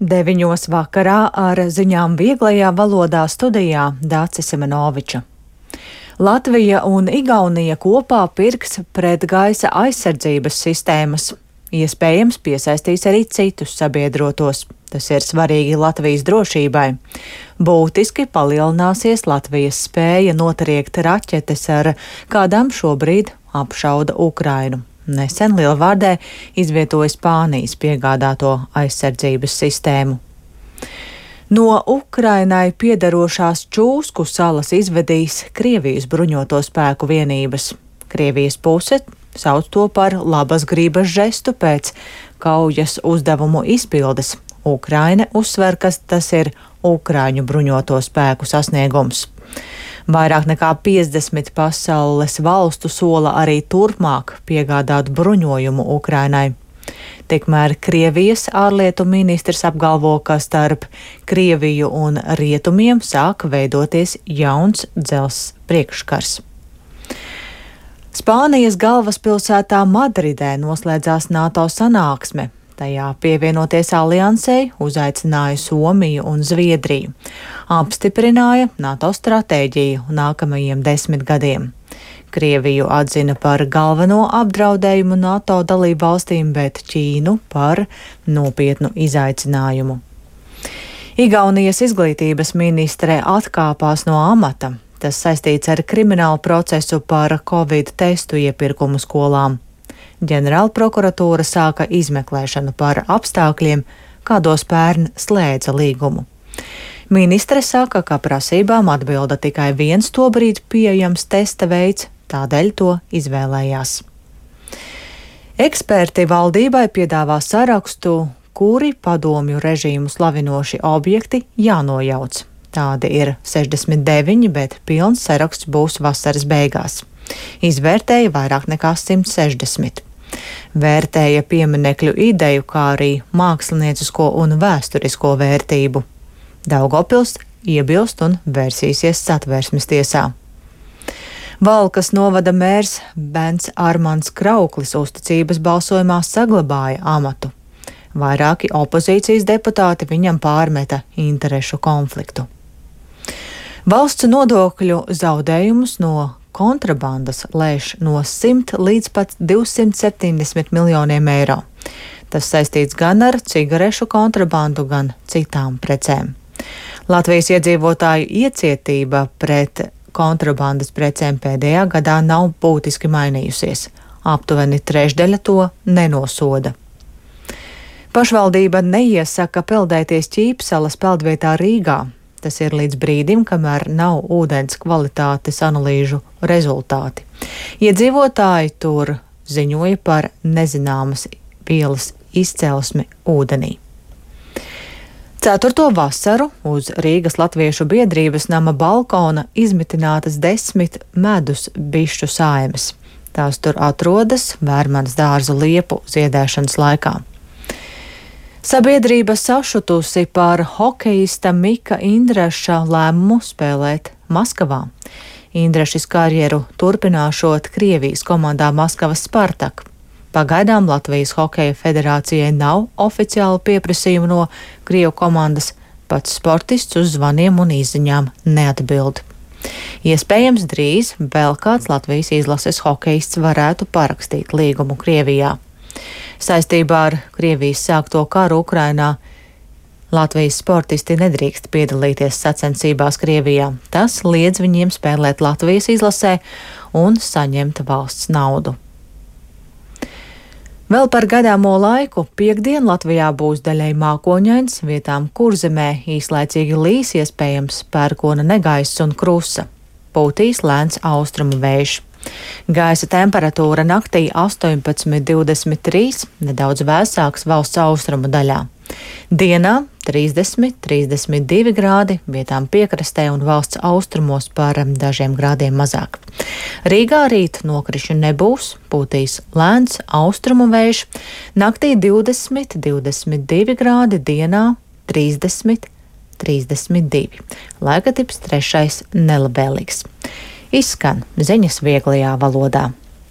9 vakarā ar ziņām vieglajā valodā studijā Dācis Simenoviča. Latvija un Igaunija kopā pirks pretgaisa aizsardzības sistēmas. Iespējams, piesaistīs arī citus sabiedrotos. Tas ir svarīgi Latvijas drošībai. Būtiski palielināsies Latvijas spēja notriekt raķetes, ar kādām šobrīd apšauda Ukrainu. Nesen Lielvārdē izvietoja Spānijas piegādāto aizsardzības sistēmu. No Ukrainai piederošās Čūsku salas izvedīs Krievijas bruņoto spēku vienības. Krievijas puse sauc to par labas gribas žestu pēc kaujas uzdevumu izpildes. Ukraina uzsver, ka tas ir Ukraiņu bruņoto spēku sasniegums. Vairāk nekā 50 pasaules valstu sola arī turpmāk piegādāt bruņojumu Ukrainai. Tikmēr Krievijas ārlietu ministrs apgalvo, ka starp Krieviju un rietumiem sāk veidoties jauns dzelzs priekškars. Spānijas galvaspilsētā Madridē noslēdzās NATO sanāksme. Tajā pievienoties aliansei uzaicināja Somiju un Zviedriju. Apstiprināja NATO stratēģiju nākamajiem 10 gadiem. Krieviju atzina par galveno apdraudējumu NATO dalību valstīm, bet Ķīnu par nopietnu izaicinājumu. Igaunijas izglītības ministre atkāpās no amata. Tas saistīts ar kriminālu procesu par Covid testu iepirkumu skolām. Ģenerāla prokuratūra sāka izmeklēšanu par apstākļiem, kādos pērn slēdza līgumu. Ministre saka, ka prasībām atbilda tikai viens tobrīd pieejams testa veids, tādēļ to izvēlējās. Eksperti valdībai piedāvā sarakstu, kuri padomju režīmu slavinoši objekti jānojauc. Tādi ir 69, bet pilns saraksts būs vasaras beigās. Izvērtēja vairāk nekā 160. Vērtēja pieminekļu ideju, kā arī māksliniecisko un vēsturisko vērtību. Daugavpils iebilst un vērsīsies Satversmes tiesā. Valkas novada mērs Bens Armands Krauklis uzticības balsojumā saglabāja amatu. Vairāki opozīcijas deputāti viņam pārmeta interešu konfliktu. Valsts nodokļu zaudējumus no kontrabandas lēš no 100 līdz pat 270 miljoniem eiro. Tas saistīts gan ar cigarešu kontrabandu, gan citām precēm. Latvijas iedzīvotāju iecietība pret kontrabandas precēm pēdējā gadā nav būtiski mainījusies. Aptuveni trešdaļa to nenosoda. Pašvaldība neiesaka peldēties Ķīpsalas peldvietā Rīgā. Tas ir līdz brīdim, kamēr nav ūdens kvalitātes analīžu rezultāti. Iedzīvotāji tur ziņoja par nezināmas vielas izcelsmi ūdenī. 4. vasaru uz Rīgas Latviešu biedrības nama balkona izmitinātas 10 medus bišķu saimes. Tās tur atrodas Vērmanas dārza liepu ziedēšanas laikā. Sabiedrība sašutusi par hokejista Mika Indraša lēmumu spēlēt Maskavā. Indrašis karjeru turpināšot Krievijas komandā Maskavas Spartak. Pagaidām Latvijas Hokeja federācijai nav oficiālu pieprasījumu no Krievu komandas, pats sportists uz zvaniem un izziņām neatbild. Iespējams, drīz vēl kāds Latvijas izlases hokejists varētu parakstīt līgumu Krievijā. Saistībā ar Krievijas sākto karu Ukrainā Latvijas sportisti nedrīkst piedalīties sacensībās Krievijā. Tas liedz viņiem spēlēt Latvijas izlasē un saņemt valsts naudu. Vēl par gaidāmo laiku piektdien Latvijā būs daļai mākoņains, vietām Kurzemē īslaicīgi līs, iespējams pērkona negaiss un krusa. Pūtīs lēns austrumu vējš. Gaisa temperatūra naktī 18–23, nedaudz vēsāks valsts austrumu daļā. Dienā 30–32 grādi, vietām piekrastē un valsts austrumos par dažiem grādiem mazāk. Rīgā rīt nokrišņu nebūs, pūtīs lēns austrumu vējš, naktī 20–22 grādi, dienā 30–32. Laika tips 3. nelabēlīgs. Izskan ziņas vieglajā valodā.